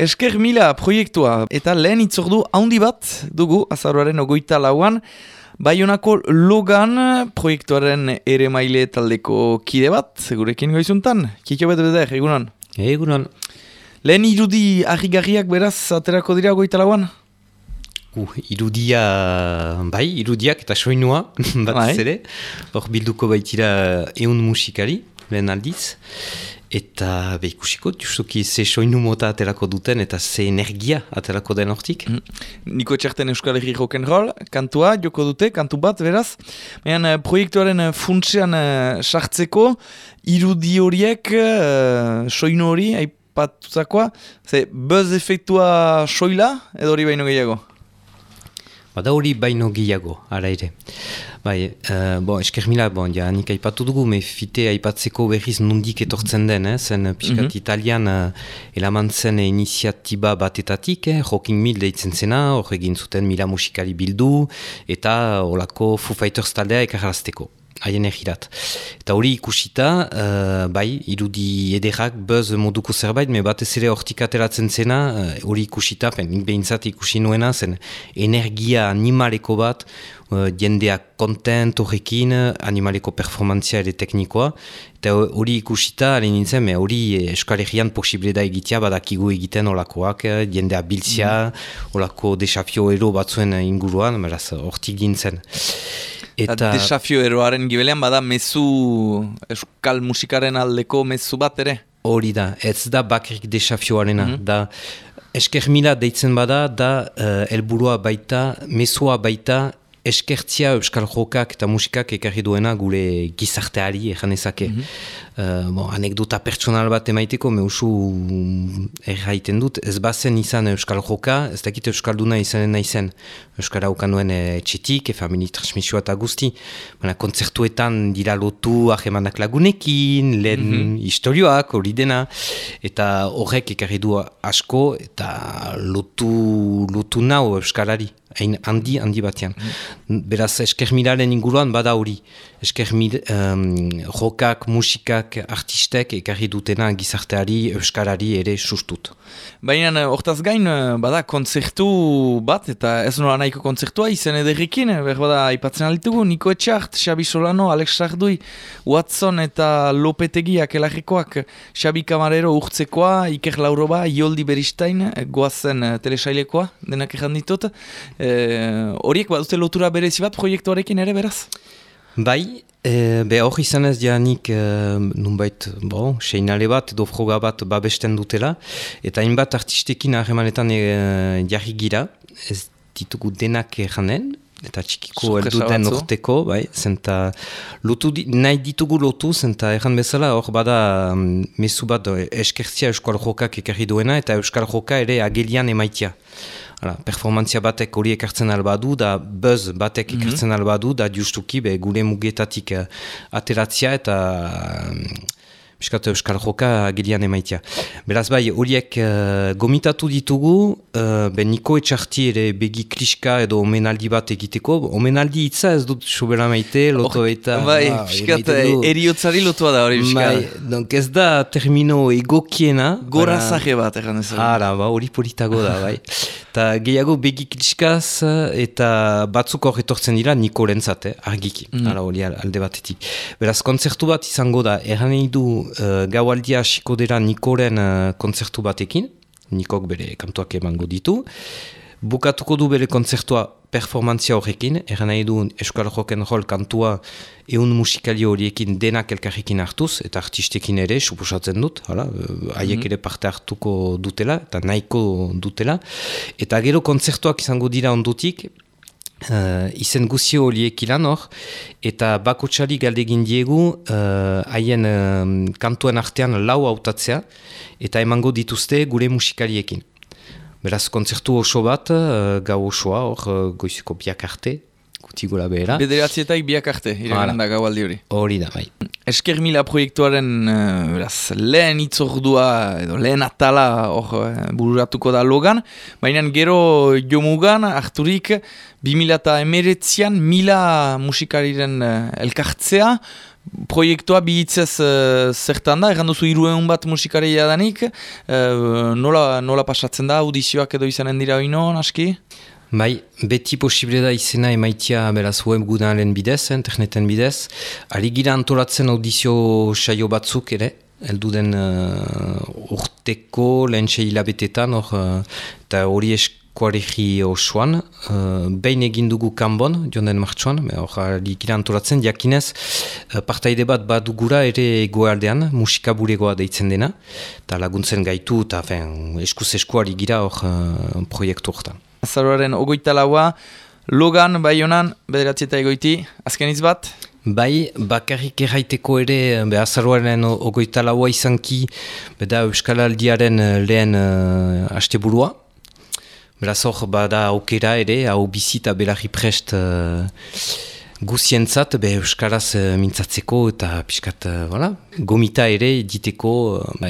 Esker mila proiektua eta lehen itzordu handi bat dugu azaroaren 24an, Baionako Logan proiektuaren ere maile taldeko kide bat, segurekin goizuntan. Kiko beder, egunon? Egunon. Lehen irudi argigarriak beraz aterako dira 24an? Irudiak eta soinua bat ere. Hor bilduko baitira 100 musikari, lehen aldiz. Eta ikusiko, justuki ze soinu mota aterako duten eta ze energia aterako den hortik. Niko Txarten Euskal Herri Rock'n'Roll, kantua joko dute, kantu bat beraz. Baina proiektuaren funtsean sartzeko, irudi horiek, soinu hori, aipatutakoa, ze buzz efektua soila edo hori baino gehiago? Bada hori baino gehiago, ara ere. Esker mila, nik aipatu dugu, fite aipatzeko berriz nondik etortzen den, zen piskat italian elaman zen iniziatiba batetatik, Rocking Mill deitzen zena, hor egin zuten mila musikari bildu, eta holako Foo Fighters taldea ekarrazteko. Haien egirat. Eta hori ikusita, irudi ederrak, buzz moduko zerbait, batez ere hortik ateratzen zena, hori ikusita, nik behintzat ikusi nuena, zen energia animaleko bat, jendeak kontent horrekin, animaleko performantzia ere teknikoa, eta hori ikusita, hori nintzen, hori Euskal Herrian posible da egitea, badakigu egiten olakoak, jendea biltzia, olako desafio ero batzuen inguruan, beraz, hortik gintzen. Eta desafio eroaren gibelean bada mezu euskal musikaren aldeko mezu bat ere? Hori da, ez da bakarrik desafioarena. Da, esker mila deitzen bada, da helburua baita, mezua baita, eskertzia euskal jokak eta musikak ekarri duena gure gizarteari ezake. Anekdota pertsonal bat emaiteko, usu erraiten dut, ez bazen izan euskal joka, ez dakit euskalduna izanen naizen. Euskara ukanuen etxetik, famili transmisioa eta guzti. Kontzertuetan dira lotu ahemanak lagunekin, lehen historioak, hori dena, eta horrek ekarri du asko, eta lotu nau euskarari. Hain handi batean. Beraz, eskermilaren inguruan bada hori. Eskermil, jokak, musikak, artistek ekarri dutena gizarteari, euskarari ere sustut. Baina, hortaz gain, bada kontzertu bat, eta ez nola nahiko kontzertua izen ederrikin, bada aipatzen alitugu, Niko Etxart, Xabi Solano, Alex Sardui, Watson eta Lopetegiak elarrikoak, Xabi Camarero urtzekoa, Iker Lauroba, Ioldi Beristain, goazen telesailekoa, denak erranditut. Horiek badute lotura berezi bat proiektuarekin ere beraz? Bai, hor izan ez janik nunbait seinale bat edo froga bat babesten dutela, eta hainbat artistekin harremanetan jarri gira, ez ditugu denak janen, eta txikiko elduten urteko, zenta nahi ditugu lotu, zenta erran bezala hor bada mezu bat eskertzia euskal jokak ekarri duena, eta euskal joka ere agelian emaitia. Performantzia batek hori ekartzen albadu, da buzz batek ekartzen albadu, da justuki gure mugetatik ateratzia eta piskat euskal joka agelian emaitia. Beraz horiek gomitatu ditugu, Niko Etxarti ere begi kliska edo omenaldi bat egiteko. Omenaldi hitza ez dut sobera maite, loto eta... Piskat eriotzari lotua da hori piskat. Donk ez da termino egokiena. Gora zahe bat egan ez. Hori politago da, Eta gehiago begi kliskaz eta batzuk hor etortzen dira Nikorentzat, argiki. Hori alde batetik. Beraz, kontzertu bat izango da, erran nahi du gaualdia hasiko dira Nikoren kontzertu batekin, Nikok bere kantuak emango ditu, bukatuko du bere kontzertua performantzia horrekin, erran nahi du Euskal Rock'n'Roll kantua 100 musikali horiekin denak elkarrekin hartuz, eta artistekin ere, suposatzen dut, haiek ere parte hartuko dutela, eta nahiko dutela, eta gero kontzertuak izango dira ondutik, izen guzio horiek ilan hor, eta bakotxari galdegin diegu haien kantuen artean lau hautatzea, eta emango dituzte gure musikaliekin. Beraz, kontzertu oso bat, gau osoa, hor goizuko biak arte, gutxigura behera. Bederatzietaik biak arte, iragan da gaualdi hori. Hori da, bai. Esker Mila proiektuaren lehen itzordua edo lehen atala bururatuko da logan, baina gero jomugan harturik 2019an Mila musikariren elkartzea, proiektua bihitzez zertan da, erran duzu 200 bat musikaria danik, nola pasatzen da, audizioak edo izanen dira oino, aski? Bai, beti posible da izena emaitia beraz webgunaren bidez, interneten bidez. Ari gira antolatzen audizio saio batzuk ere, elduden urteko lehen hilabetetan, eta hori eskuaregi osoan. Behin egin dugu Kanbon, joan den martxoan, ari gira antolatzen, jakinez, partaide bat badugura ere egoaldean, musikaburegoa deitzen dena, eta laguntzen gaitu, eta eskuz eskuari gira proiektu horretan. Azaroaren 24a, logan, Baionan, 9:00 azkeniz bat? Bai, bakarrik erraiteko ere, azaroaren 24a izanki, beda Euskal Aldiaren lehen asteburua. Beraz hor, bada aukera ere, hau bizita belarri prest guzientzat, Euskaraz mintzatzeko eta piskat, gomita ere diteko,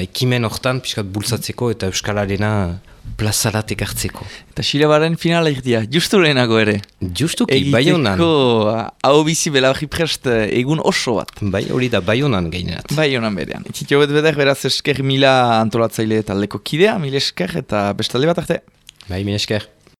ekimen hortan piskat bultzatzeko eta Euskalarena plazarat ekartzeko. Eta Xilebaren finala irdia, justu lehenago ere. Justuki, Baionan. Egiteko hau bizi belarri prest egun oso bat. Bai, hori da Baionan gainerat. Baionan berean. Itzitio beder, beraz Esker Mila antolatzaile taldeko kidea, mil esker eta bestalde bat arte. Bai, mil esker.